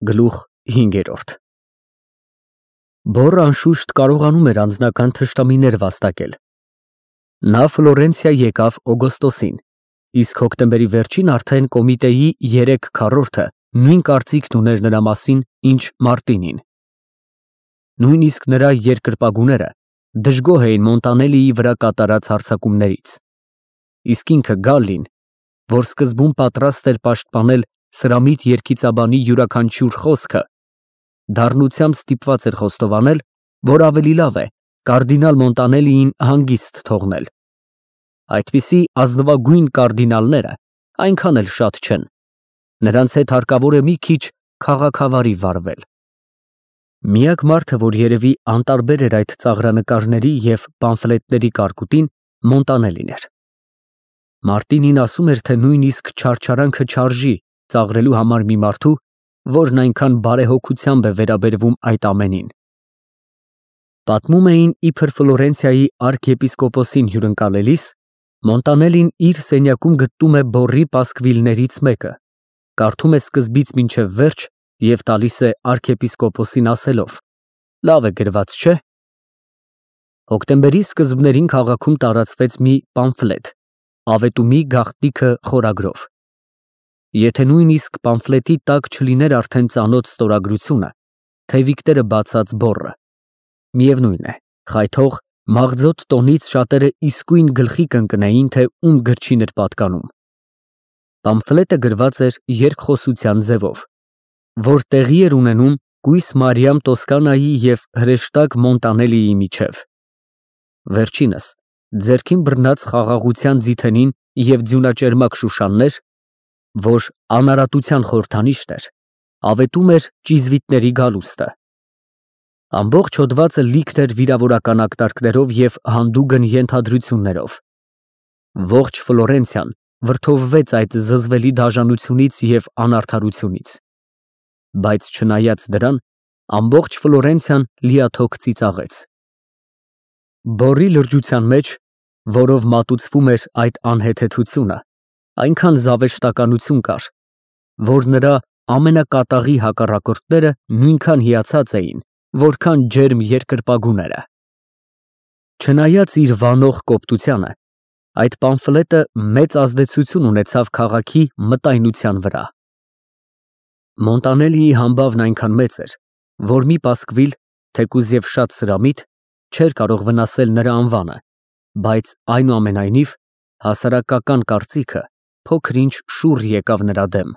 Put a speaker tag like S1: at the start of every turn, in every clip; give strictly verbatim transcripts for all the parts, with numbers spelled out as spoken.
S1: Գլուխ հինգերորդ Բոռը անշուշտ կարողանում էր անձնական թշնամիներ վաստակել։ Նա Ֆլորենցիա եկավ օգոստոսին, իսկ հոկտեմբերի վերջին արդեն կոմիտեի երեք քառորդը նույն կարծիքն ուներ նրա մասին, ինչ Մարտինին։ Նույնիսկ նրա երկրպագուները դժգոհ էին Մոնտանելիի վրա կատարած հարձակումներից, իսկ ինքը Գալլին, որ սկզբում պատրաստ էր պաշտպանել սրամիտ երգիծաբանի յուրաքանչյուր խոսքը, դառնությամբ ստիպված էր խոստովանել, որ ավելի լավ է կարդինալ Մոնտանելիին հանգիստ թողնել։ Այդպիսի ազնվագույն կարդինալները այնքան էլ շատ չեն, նրանց հետ հարկավոր է մի քիչ քաղաքավարի վարվել։ Միակ մարդը, որ երևի անտարբեր էր այդ ծաղրանկարների և պամֆլետների կարկուտին, Մոնտանելին էր։ Մարտինին ասում էր, թե նույնիսկ չարչարանքը չարժի ծաղրելու համար մի մարդու, որն այնքան բարեհոգությամբ է վերաբերվում այդ ամենին։ Պատմում էին, իբր Ֆլորենցիայի արքեպիսկոպոսին հյուրընկալելիս, Մոնտանելին իր սենյակում գտնում է բոռի պասկվիլներից մեկը, կարդում է սկզբից մինչև վերջ և տալիս է արքեպիսկոպոսին ասելով. «Լավ է գրված, չէ՞»։ Հոկտեմբերի սկզբներին քաղաքում տարածվեց մի պամֆլետ «Ավետումի գաղտնիքը» խորագրով։ Եթե նույնիսկ պամֆլետի տակ չլիներ արդեն ծանոթ ստորագրությունը, թևիկները բացած բոռը, միևնույն է, խայթող, մաղձոտ տոնից շատերը իսկույն գլխի կընկնեին, թե ում գրչին էր պատկանում։ Պամֆլետը գրված էր երկխոսության ձևով, որ տեղի էր ունենում կույս Մարիամ Տոսկանայի և հրեշտակ Մոնտանելիի միջև։ Վերջինս ձեռքին բռնած խաղաղության ձիթենին և ձյունաճերմակ շուշաններ, որ անարատության խորհրդանիշն էր, ավետում էր ճիզվիտների գալուստը։ Ամբողջ հոդվածը լիքն էր վիրավորական ակտարկներով և հանդուգն ենթադրություններով։ Ողջ Ֆլորենցիան վրդովվեց այդ զզվելի դաժանությունից և անարդարությունից, բայց չնայած դրան, ամբողջ Ֆլորենցիան լիաթոք ծիծաղեց։ Բոռի լրջության մեջ, որով մատուցվում էր այդ անհեթեթությունը, այնքան զավեշտականություն կար, որ նրա ամենակատաղի հակառակորդները նույնքան հիացած էին, որքան ջերմ երկրպագուները։ Չնայած իր վանող կոպտությանը, այդ պամֆլետը մեծ ազդեցություն ունեցավ քաղաքի մտայնության վրա։ Մոնտանելիի համբավն այնքան մեծ էր, որ մի պասկվիլ, թեկուզ և շատ սրամիտ, չէր կարող վնասել նրա անվանը, բայց այնուամենայնիվ հասարակական կարծիքը փոքր-ինչ շուռ եկավ նրա դեմ։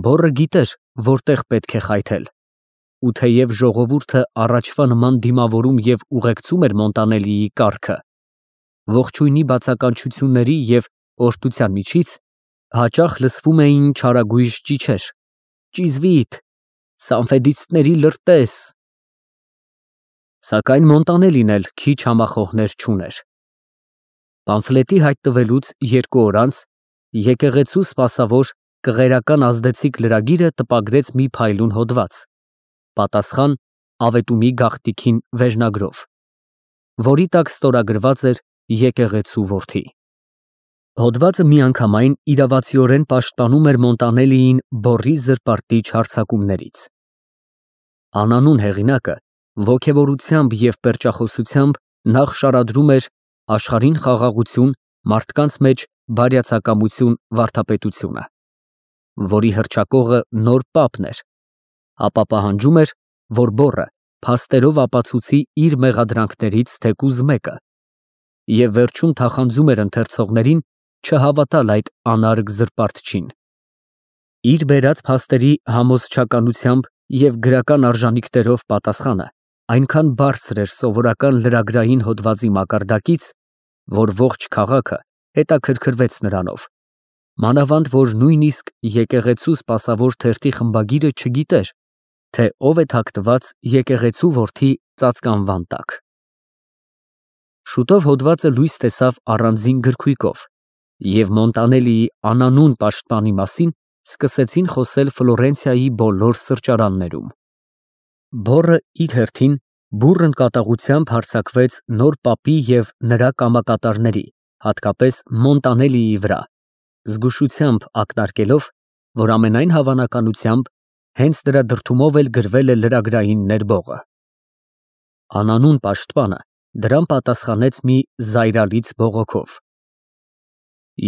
S1: Բոռը գիտեր, որտեղ պետք է խայթել, ու թեև ժողովուրդը առաջվա նման դիմավորում և ուղեկցում էր Մոնտանելիի կառքը, ողջույնի բացականչությունների և օրհնության միջից հաճախ լսվում էին չարագույժ ճիչեր. «Ճիզվիտ, սանֆեդիստների լրտես»։ Սակայն Մոնտանելին էլ քիչ համախոհներ չուներ։ Պամֆլետի հայտնվելուց երկու օր անց եկեղեցու սպասավոր կղերական ազդեցիկ լրագիրը տպագրեց մի փայլուն հոդված, պատասխան «Ավետումի գաղտնիքին» վերնագրով, որի տակ ստորագրված էր եկեղեցու որդի։ Հոդվածը միանգամայն իրավացիորեն պաշտպանում էր Մոնտանելիին բոռի զրպարտիչ հարձակումներից։ Անանուն հեղինակը ոգևորությամբ և պերճախոսությամբ նախ շարադրում էր աշխարհին խաղաղություն, մարդկանց մեջ բարյացակամություն վարդապետությունը, որի հռչակողը նոր պապն էր, ապա պահանջում էր, որ բոռը փաստերով ապացուցի իր մեղադրանքներից թեկուզ մեկը, և վերջում թախանձում էր ընթերցողներին չհավատալ այդ անարգ զրպարտչին։ Իր բերած փաստերի համոզչականությամբ և գրական արժանիքներով պատասխանը այնքան բարձր էր սովորական լրագրային հոդվածի մակարդակից, որ ողջ քաղաքը հետաքրքրվեց նրանով, մանավանդ որ նույնիսկ եկեղեցու սպասավոր թերթի խմբագիրը չգիտեր, թե ով է թաքնված եկեղեցու որդի ծածկանվան տակ։ Շուտով հոդվածը լույս տեսավ առանձին գրքույկով, և Մոնտանելիի անանուն պաշտպանի մասին սկսեցին խոսել Ֆլորենցիայի բոլոր սրճարաններում։ Բոռը իր հերթին բուռն կատաղությամբ հարձակվեց նոր պապի և նրա կամակատարների, հատկապես Մոնտանելիի վրա, զգուշությամբ ակնարկելով, որ ամենայն հավանականությամբ հենց դրա դրդումով էլ գրվել է լրագրային ներբողը։ Անանուն պաշտպանը դրան պատասխանեց մի զայրալից բողոքով։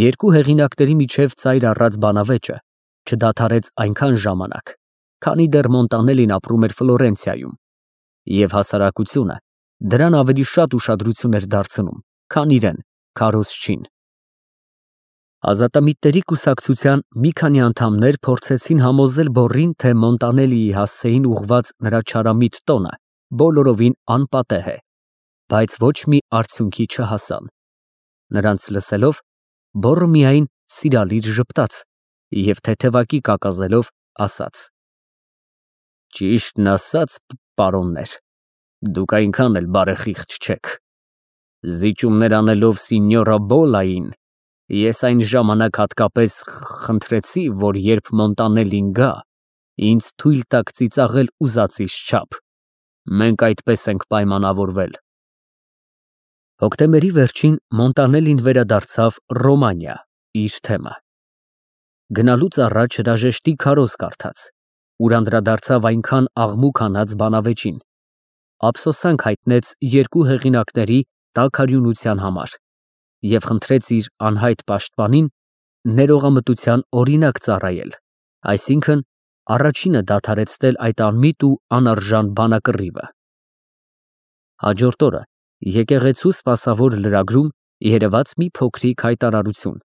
S1: Երկու հեղինակների միջև ծայր առած բանավեճը չդադարեց այնքան ժամանակ, քանի դեռ Մոնտանելին ապրում էր Ֆլորենցիայում, և հասարակությունը դրան ավելի շատ ուշադրություն էր դարձնում, քան իրեն, քարոզչին։ Ազատամիտների կուսակցության մի քանի անդամներ փորձեցին համոզել Բոռին, թե Մոնտանելիի հասցեին ուղղված նրա չարամիտ տոնը բոլորովին անպատեհ է, բայց ոչ մի արդյունքի չհասան։ Նրանց լսելով, Բոռը միայն սիրալիր ժպտաց և թեթևակի կակազելով ասաց. «Ճիշտն ասած, պարոններ, դուք այնքան էլ բարեխիղճ չեք։ Զիջումներ անելով Սինյորա Բոլային, ես այն ժամանակ հատկապես խնդրեցի, որ երբ Մոնտանելին գա, ինձ թույլ տաք ծիծաղել ուզածիս չափ։ Մենք այդպես ենք պայմանավորվել»։ Հոկտեմբերի վերջին Մոնտանելին վերադարձավ Ռոմանիա, իր թեմը։ Գնալուց առաջ հրաժեշտի քարոզ կարդաց, ուր անդրադարձավ այնքան աղմուկ հանած բանավեճին, ափսոսանք հայտնեց երկու հեղինակների տաքարյունության համար և խնդրեց իր անհայտ պաշտպանին ներողամտության օրինակ ծառայել, այսինքն առաջինը դադարեցնել այդ անմիտ ու անարժան բանակռիվը։ Հաջորդ օրը եկեղեցու սպասավոր լրագրում երևաց մի փոքրիկ հայտարարություն,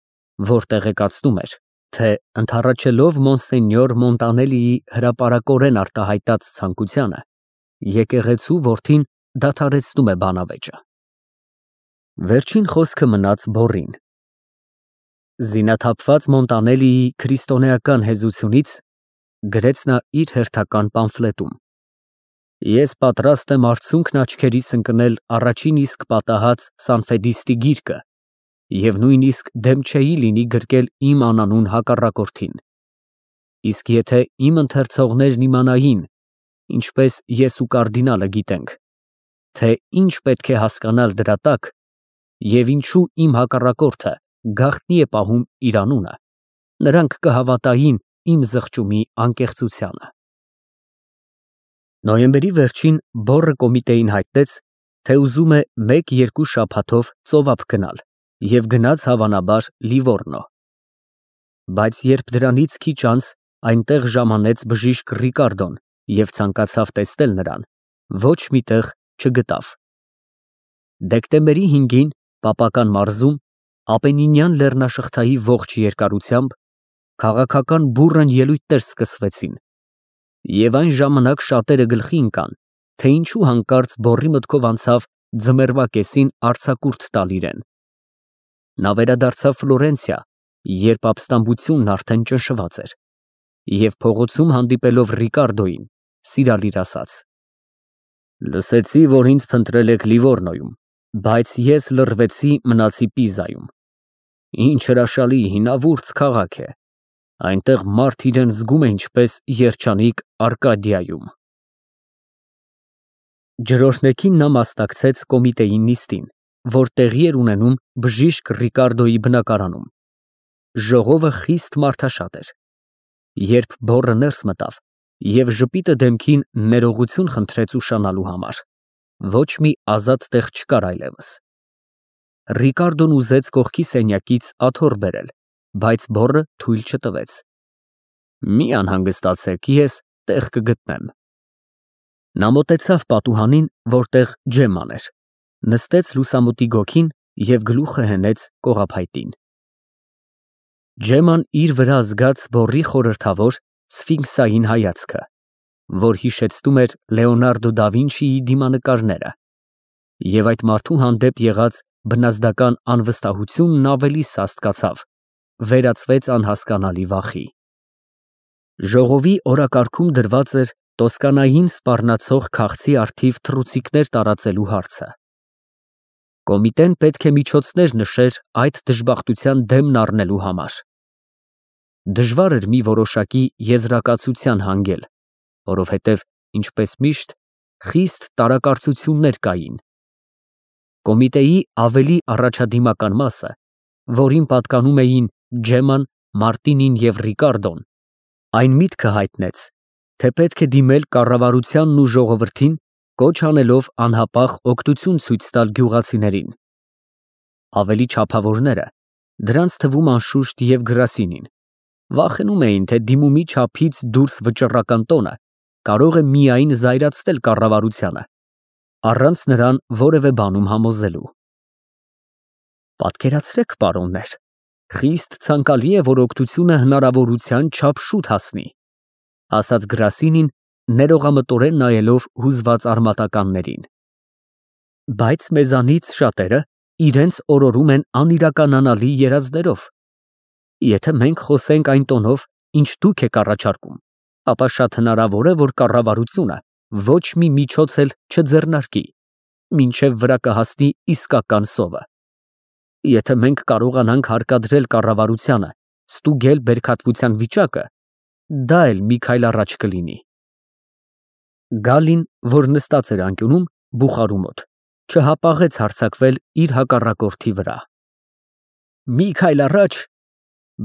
S1: որ տեղեկացնում էր, թե ընդառաջելով Մոնսենյոր Մոնտանելիի հրապարակորեն արտահայտած ցանկությանը, եկեղեցու որդին դադարեցնում է բանավեճը։ Վերջին խոսքը մնաց Բոռին։ Զինաթափված Մոնտանելիի քրիստոնեական հեզությունից գրեց նա իր հերթական պամֆլետում. «Ես պատրաստ եմ արցունքն աչքերիս ընկնել առաջին իսկ պատահած Սանֆեդիստի գիրկը և նույնիսկ դեմ չէի լինի գրկել իմ անանուն հակառակորդին։ Իսկ եթե իմ ընթերցողներն իմանային, ինչպես ես ու կարդինալը գիտենք, թե ինչ պետք է հասկանալ դրա տակ և ինչու իմ հակառակորդը գաղտնի է պահում իր անունը, նրանք կհավատային իմ զղջումի անկեղծությանը»։ Նոյեմբերի վերջին Բոռը կոմիտեին հայտնեց, թե ուզում է մեկ֊երկու շաբաթով ծովափ գնալ և գնաց հավանաբար Լիվոռնո։ Բայց երբ դրանից քիչ անց այնտեղ ժամանեց բժիշկ Ռիկարդոն և ցանկացավ տեսնել նրան, ոչ մի տեղ չգտավ։ Դեկտեմբերի հինգին Պապական մարզում Ապենինյան լեռնաշղթայի ողջ երկարությամբ քաղաքական բուռն ելույթներ սկսվեցին, և այն ժամանակ շատերը գլխի ընկան, թե ինչու հանկարծ Բոռի մտքով անցավ ձմեռվա կեսին արձակուրդ տալ իրեն։ Նա վերադարձավ Ֆլորենցիա, երբ ապստամբությունն արդեն ճնշված էր, և փողոցում հանդիպելով Ռիկարդոյին, սիրալիր ասաց. «Լսեցի, որ ինձ փնտրել եք Լիվոռնոյում, բայց ես լռվեցի, մնացի Պիզայում։ Ինչ հրաշալի, հինավուրց քաղաք է, այնտեղ մարդ իրեն զգում է ինչպես երջանիկ Արկադիայում»։ Ջրօրհնեքին նա մասնակցեց կոմիտեի նիստին, որ տեղի էր ունենում բժիշկ Ռիկարդոյի բնակարանում։ Ժողովը խիստ մարդաշատ էր։ Երբ Բոռը ներս մտավ և ժպիտը դեմքին ներողություն խնդրեց ուշանալու համար, ոչ մի ազատ տեղ չկար այլևս։ Ռիկարդոն ուզեց կողքի սենյակից աթոռ բերել, բայց Բոռը թույլ չտվեց։ «Մի անհանգստացեք, ես տեղ կգտնեմ»։ Նա մոտեցավ պատուհանին, որտեղ Ջեմման էր, նստեց լուսամուտի գոգին և գլուխը հենեց կողափայտին։ Ջեմման իր վրա զգաց Բոռի խորհրդավոր, սֆինքսային հայացքը, որ հիշեցնում էր Լեոնարդո դա Վինչիի դիմանկարները, և այդ մարդու հանդեպ եղած բնազդական անվստահությունն ավելի սաստկացավ, վերածվեց անհասկանալի վախի։ Ժողովի օրակարգում դրված էր Տոսկանային սպառնացող քաղցի առթիվ թռուցիկներ տարածելու հարցը։ Կոմիտեն պետք է միջոցներ նշեր այդ դժբախտության դեմն առնելու համար։ Դժվար էր մի որոշակի եզրակացության հանգել, որովհետև, ինչպես միշտ, խիստ տարակարծություններ կային։ Կոմիտեի ավելի առաջադիմական մասը, որին պատկանում էին Ջեմման, Մարտինին և Ռիկարդոն, այն միտքը հայտնեց, թե պետք է դիմել կառավարությանն ու ժողովրդին, կոչ անելով անհապաղ օգնություն ցույց տալ գյուղացիներին։ Ավելի չափավորները, դրանց թվում անշուշտ և Գրասինին, վախենում էին, թե դիմումի չափից դուրս վճռական տոնը կարող է միայն զայրացնել կառավարությանը, առանց նրան որևէ բանում համոզելու։ Պատկերացրեք, պարոններ, խիստ ցանկալի է, որ օգնությունը հնարավորության չափ շուտ հասնի, ասաց Գրասինին, ներողամտորեն նայելով հուզված արմատականներին։ Բայց մեզանից շատերը իրենց օրորում են անիրականանալի երազներով։ Եթե մենք խոսենք այն տոնով, ինչ դուք եք առաջարկում, ապա շատ հնարավոր է, որ կառավարությունը ոչ մի միջոց էլ չձեռնարկի, մինչև վրա կհասնի իսկական սովը։ Եթե մենք կարողանանք հարկադրել կառավարությանը ստուգել բերքատվության վիճակը, դա էլ մի քայլ առաջ կլինի։ Գալին, որ նստած էր անկյունում, բուխարու մոտ, չհապաղեց հարձակվել իր հակառակորդի վրա։ Մի քայլ առաջ,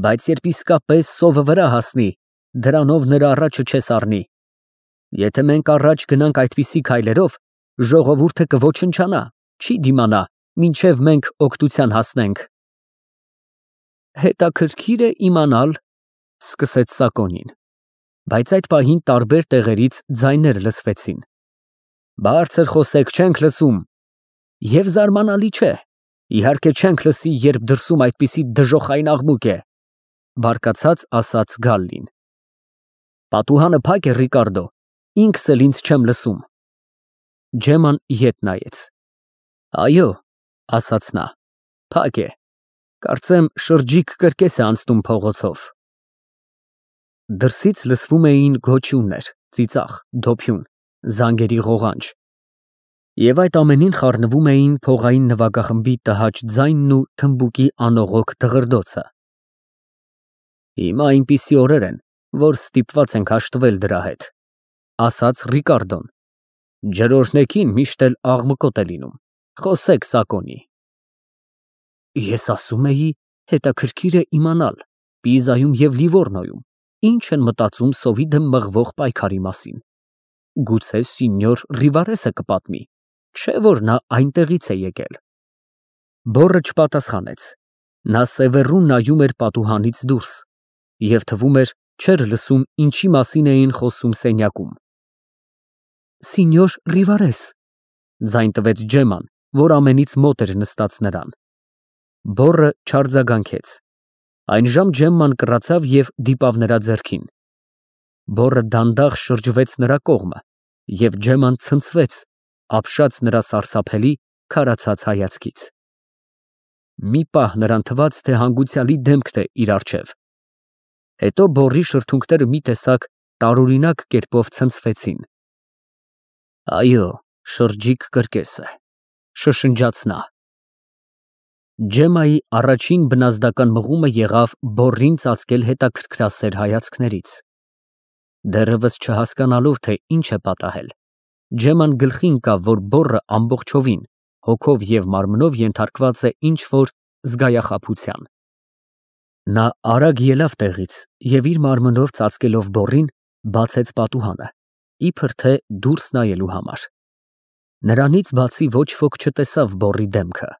S1: բայց երբ իսկապես սովը վրա հասնի, դրանով նրա առաջը չես առնի։ Եթե մենք առաջ գնանք այդպիսի քայլերով, ժողովուրդը կոչնչանա, չի դիմանա, մինչև մենք օգնության հասնենք։ Հետաքրքիր է իմանալ, սկսեց Սակոնին, բայց այդ պահին տարբեր տեղերից ձայներ լսվեցին։ Բարձր խոսեք, չենք լսում։ Եվ զարմանալի չէ, իհարկե չենք լսի, երբ դրսում այդպիսի դժոխային աղմուկ է, բարկացած ասաց Գալլին։ Պատուհանը փակ է, Ռիկարդո, ինքս էլ ինձ չեմ լսում։ Ջեման ետ նայեց։ Այո, ասաց նա, փակ է, կարծեմ շրջիկ կրկես է անցնում փողոցով։ Դրսից լսվում էին գոչյուններ, ծիծաղ, դոփյուն, զանգերի ղողանջ, և այդ ամենին խառնվում էին փողային նվագախմբի տհաճ ձայնն ու թմբուկի անողոք դղրդոցը։ Հիմա այնպիսի օրեր են, որ ստիպված ենք հաշտվել դրա հետ, ասաց Ռիկարդոն։ Ջրօրհնեքին միշտ էլ աղմկոտ է լինում, խոսեք Սակոնի։ Ես ասում էի, հետաքրքիր է իմանալ, Պիզայում և Լիվորնոյում ինչ են մտածում սովի դեմ մղվող պայքարի մասին։ Գուցե սինյոր Ռիվարեսը կպատմի, չէ՞ որ նա այնտեղից է եկել։ Բոռը չպատասխանեց, նա սևեռուն նայում էր պատուհանից դուրս և թվում էր չէր լսում, ինչի մասին էին խոսում սենյակում։ Սինյոր Ռիվարես, ձայն տվեց Ջեման, որ ամենից մոտ էր նստած նրան։ Բոռը չարձագանքեց։ Այնժամ Ջեմման կռացավ և դիպավ նրա ձեռքին։ Բոռը դանդաղ շրջվեց նրա կողմը, և Ջեման ցնցվեց, ապշած նրա սարսափելի, քարացած հայացքից։ Մի պահ նրան թվաց, թե հանգուցյալի դեմքն է իր առջև։ Հետո բոռի շրթունքները մի տեսակ տարօրինակ կերպով ցնցվեցին։ Այո, շրջիկ կրկես է, շշնջաց նա։ Ջեմայի առաջին բնազդական մղումը եղավ բոռին ծածկել հետաքրքրասեր հայացքներից։ Դեռևս չհասկանալով, թե ինչ է պատահել, Ջեման գլխի ընկավ, որ բոռը ամբողջովին, հոգով և մարմնով ենթարկված է ինչ-որ զգայախաբության։ Նա արագ ելավ տեղից և իր մարմնով ծածկելով բոռին, բացեց պատուհանը, իբր թե դուրս նայելու համար։ Նրանից բացի ոչ ոք չտեսավ բոռի դեմքը։